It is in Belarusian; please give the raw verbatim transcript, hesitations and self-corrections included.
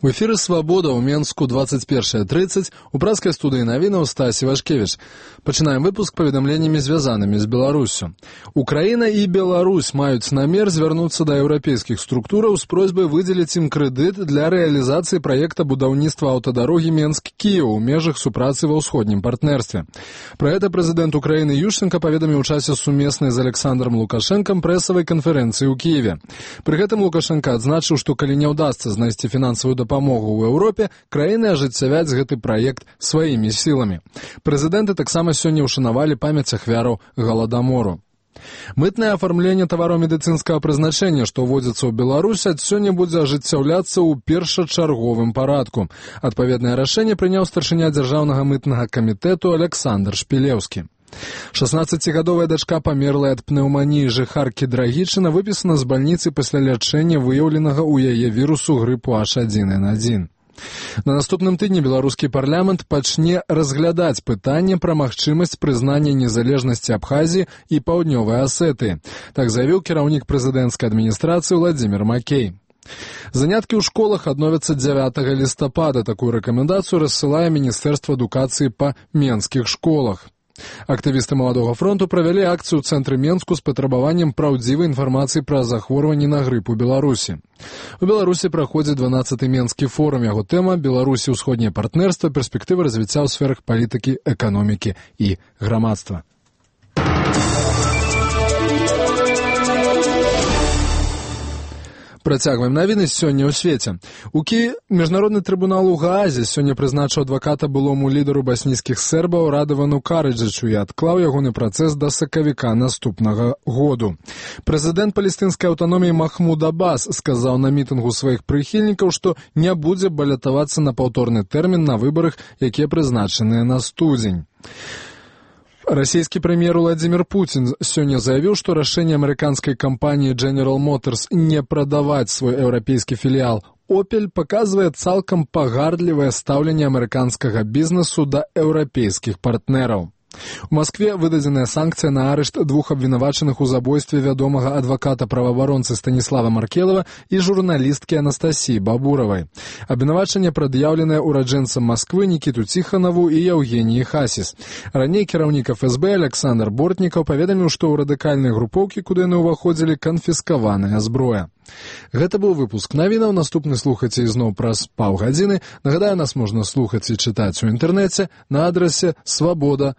У эфіры «Свабода» ў Менску двадцать першая тридцать, у праскай студыі навінаў Стась Івашкевіч. Пачынаем выпуск паведамленнямі, звязанымі з Беларуссю. Украіна і Беларусь маюць намер звярнуцца да еўрапейскіх структураў з просьбай выдзеліць ім крэдыт для рэалізацыі праекта будаўніцтва аўтадарогі Менск-Кіеў у межах супрацы ва ўсходнім партнерстве. Пра гэта прэзідэнт Украіны Ющенка паведаміў у часе сумеснай з Александром Лукашэнкам прэсавай канферэнцыі ў Кіеве. Пры гэтым Лукашэнка адзначыў, што калі не ўдасца знайсці фінансавую дапамогу Памогу ў Еўропе, краіны ажыццявяць гэты праект сваімі сіламі. Прэзідэнты таксама сёння ўшанавалі памяць ахвяраў Галадамору. Мытнае афармленне тавараў медыцынскага прызначэння, што ўводзіцца ў Беларусь, ад сёння будзе ажыццяўляцца ў першачарговым парадку. Адпаведнае рашэнне прыняў старшыня дзяржаўнага мытнага камітэту Александр Шпілеўскі. шаснаццацігадовая дачка памерлай ад пнеўманіі жыхаркі Драгічына выпісана з бальніцы пасля лячэння выяўленага ў яе вірусу грыпу эйч адзін эн адзін. На наступным тыдні беларускі парламент пачне разглядаць пытанне пра магчымасць прызнання незалежнасці Абхазіі і Паўднёвай Асетыі. Так заявіў кіраўнік прэзідэнцкай адміністрацыі Владзімір Макей. Заняткі ў школах адновяцца дзявятага лістапада. Такую рэкамендацыю рассылае Міністэрства адукацыі па менскіх школах. Актывісты Маладога фронту правялі акцыю ў цэнтры Менску з патрабаваннем праўдзівай інфармацыі пра захворванні на грып у Беларусі. У Беларусі праходзіць дванаццаты Менскі форум. Яго тэма «Беларусі ўсходняе партнерства. Перспектывы развіцця ў сферах палітыкі, эканомікі і грамадства». Працягваем навіны сёння ў свеце. У Кіеве міжнародны трыбунал у Гаазе сёння прызначыў адваката былому лідару баснійскіх сербаў Радавану Караджычу і адклаў ягоны працэс да сакавіка наступнага году. Прэзідэнт палестынскай аўтаноміі Махмуд Аббас сказаў на мітынгу сваіх прыхільнікаў, што не будзе балятавацца на паўторны тэрмін на выбарах, якія прызначаныя на студзень. Расійскі прэм'ер Владзімір Пуцін сёння заявіў, што рашэнне амерыканскай кампаніі General Motors не прадаваць свой еўрапейскі філіял Opel паказвае цалкам пагардлівае стаўленне амерыканскага бізнесу да еўрапейскіх партнераў. У Маскве выдадзеная санкцыя на арышт двух абвінавачаных у забойстве вядомага адваката-праваабаронцы Станіслава Маркелава і журналісткі Анастасіі Бабуравай. Абвінавачанне прад'яўленае ураджэнцам Масквы Нікіту Ціханаву і Яўгеніі Хасіс. Раней кіраўнік эф эс бэ Александр Бортнікаў паведаміў, што ў радыкальныя групоўкі, куды яны ўваходзілі, канфіскаваная зброя. Гэта быў выпуск навінаў. Наступны слухайце ізноў праз паўгадзіны. Нагадаю, нас можна слухаць і чытаць у інтэрнэце на адрасе свабода.